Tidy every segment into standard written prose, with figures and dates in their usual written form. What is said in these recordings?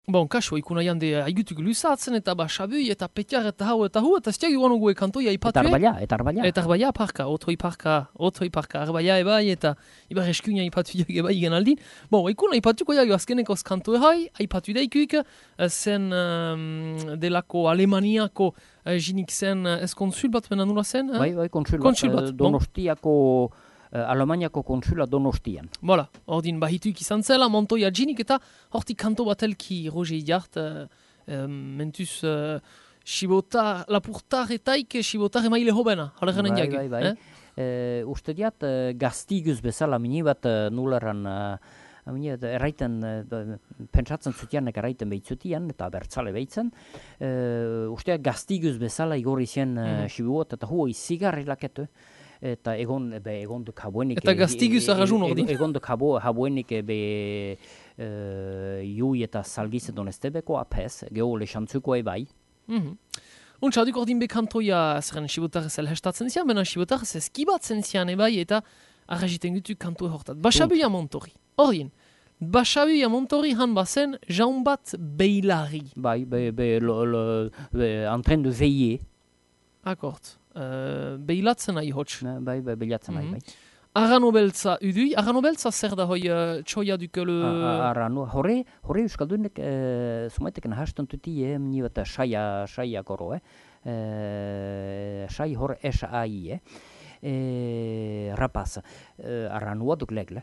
Bon, kaso, ikuna jande haigutuk luzatzen, eta basabui, eta petiar, eta hau, eta hu, eta stiagi guanu gue kantoia ipatue. Eta arbaia. Eta arbaia parka, otoi parka, arbaia ebai, eta ibar eskuina ipatu jage bai gen aldin. Bon, ikuna ipatuko jage azkenekoz kanto ehai, ipatu daikuik, zen delako Alemaniako jinik zen konsul bat, mena nula zen? Bai, konsul bat, Donostiako... Alemaniako konsula Donostian. Voilà, ordin bahituik izan zela, Montoya jinik eta hortik kanto batelki Roger Jart, mentuz Sibotar, lapurtar etaik Sibotar emaile hobena, halegenen jage. Bai. Uste diat gaztiguz bezala mini bat nularan erraiten, pentsatzen zutianek erraiten behitzutian, eta bertzale behitzen. Uste gaztiguz bezala igorri zen Sibot, eta huo izigarri laketu. Eta egon duk habuenik... Eta gaztiguz arrazun ordin. Egon duk habuenik jui eta salgizedon estebeko apes, geho lexantzuko ebai. Untsa, duk ordin bekantoia zeren Sibotar zel hestatzen zian, bena Sibotar eskibatzen zian ebai eta arraziten gutu kanto hortat. Basabuia Montori. Ordin, Basabuia Montori han bazen jaun bat beilari. Bai, en train de veiller. Akort. Behilatzen nahi hotx. Bai, behilatzen nahi, bai. Arrano beltza udui. Arrano beltza zer da hoi txoia dukele... Arrano, hore euskaldunek sumaiteken hasten tuti ni bat saia koro, sai hor S-A-I, rapaz. Arranoa duk legle.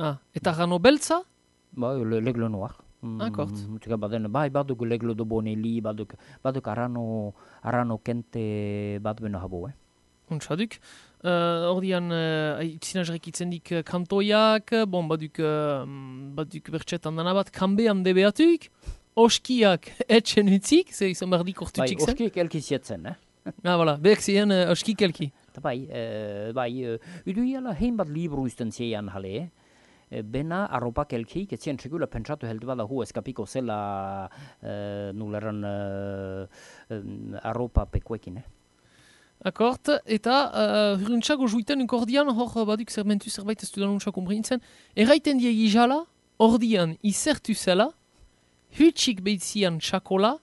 Eta arrano beltza? Bai, legle noir. Akort. Bai, baduk leglo do boneli, baduk arrano kente bat beno habo, Untsaduk. Ordian, zinazrek itzendik kantoiak, bon, baduk bertxetan dana bat, kanbean debeatuk, oskiak etxen utzik, ze izan bardik ortutik zen. Bai, oskiak elki zietzen, Voilà, behek ziren oskik elki. Bai, uduiala hein bat libru usten zeian jale, Bena arropak elkeik, etzien segula pentsatu heldu bada hu eskapiko zela nuleran arropa pekuekin, Akort, eta hurruntxago juiten unkordian, hor baduk zermentu zerbait ez dudan untxak umbrintzen, erraiten die izala, ordian izertu zela, hutsik behitzian txakola,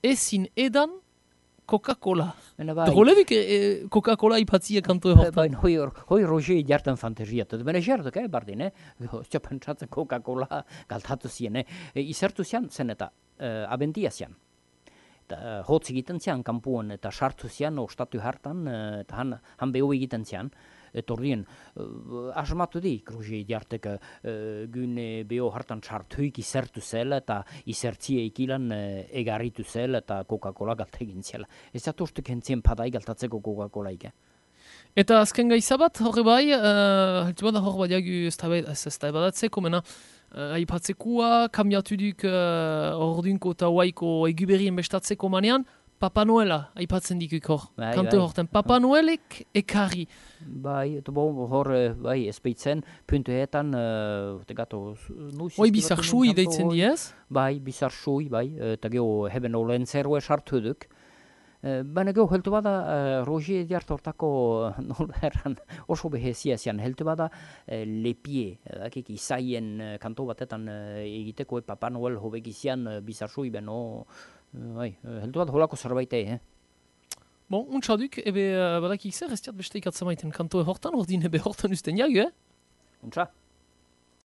ezin edan Coca-Cola. Drolevik Coca-Cola ipatzia kanto hortan. Hoi Roger jartan fantasiat. Bene jarduk, bardin, Ostia pentsatzen Coca-Cola galtatu zien, izertu zian zen eta abentia zian. Hotz egiten zian kampuan eta sartu zian ostatu hartan, eta han beho egiten zian. Eta ordien, asmatu dik, Roger jartek gune beho hartan sartuik izertu zela eta izertzia ikilan egarritu zela eta Coca-Cola galtegin zela. Ez zatu ustuk entzien padai galtatzeko Coca-Cola ike. Eta azken gaizabat, horre bai, haltu bada hor badiagu ez da ebadatzeko, mena, aipatzekoa, kambiatu duk ordunko eta huaiko eguberien bestatzeko manean, Papa Noela aipatzen dikuk hor, kanto horten. Papa Noelek ekarri. Bai, eta hor, espeitzen, puntuetan, Hoi bizar sui deitzen diez? Bai, bizar sui, bai, eta geho heben olen zerue sartu duk. Baina geho heltu bada, Roger Jart hortako oso behezia zian, heltu bada lepie, akik izaien kanto batetan egiteko Papa Noel hobek izian bizar sui beno, heldu bat holako zerbaitei, Bon, untsaduk, ebe badakik zer, ez diat beste ikatzamaiten kantoe hortan, ordin ebe hortan usten jagu, Untsa.